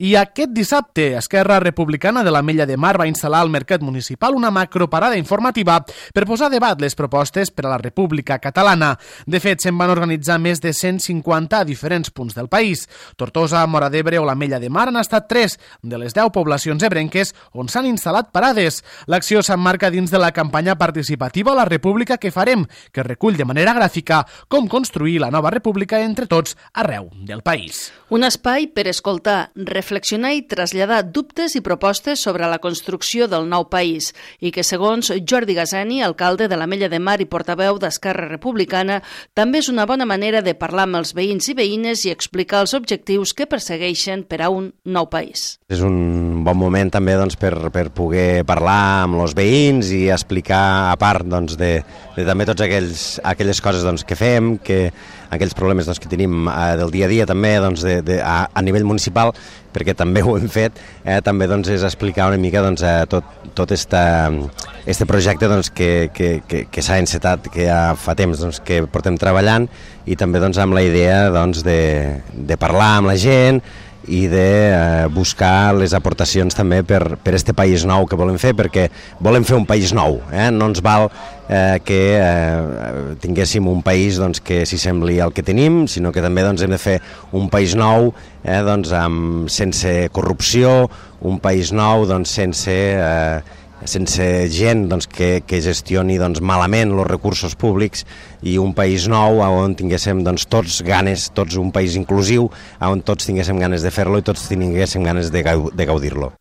I aquest dissabte, Esquerra Republicana de l'Ametlla de Mar va instal·lar al Mercat Municipal una macroparada informativa per posar a debat les propostes per a la República Catalana. De fet, se'n van organitzar més de 150 a diferents punts del país. Tortosa, Móra d'Ebre o l'Ametlla de Mar han estat 3 de les 10 poblacions ebrenques on s'han instal·lat parades. L'acció s'emmarca dins de la campanya participativa La República que farem, que recull de manera gràfica com construir la nova república entre tots arreu del país. Un espai per escoltar, reflexionar i traslladar dubtes i propostes sobre la construcció del nou país i que, segons Jordi Gazani, alcalde de l'Ametlla de Mar i portaveu d'Esquerra Republicana, també és una bona manera de parlar amb els veïns i veïnes i explicar els objectius que persegueixen per a un nou país. És un bon moment també per poder parlar amb els veïns i explicar, a part de també totes aquelles coses que fem, aquells problemes que tenim del dia a dia també a nivell municipal, perquè també ho hem fet, també és explicar una mica tot este projecte que s'ha encetat, que ja fa temps que portem treballant, i també amb la idea de parlar amb la gent i de buscar les aportacions també per este país nou que volem fer, perquè volem fer un país nou, no ens val que tinguéssim un país que s'hi sembli al que tenim, sinó que també hem de fer un país nou sense corrupció, un país nou sense gent que gestioni malament els recursos públics, i un país nou on tinguéssim tots ganes, un país inclusiu, on tots tinguéssim ganes de fer-lo i tots tinguéssim ganes de gaudir-lo.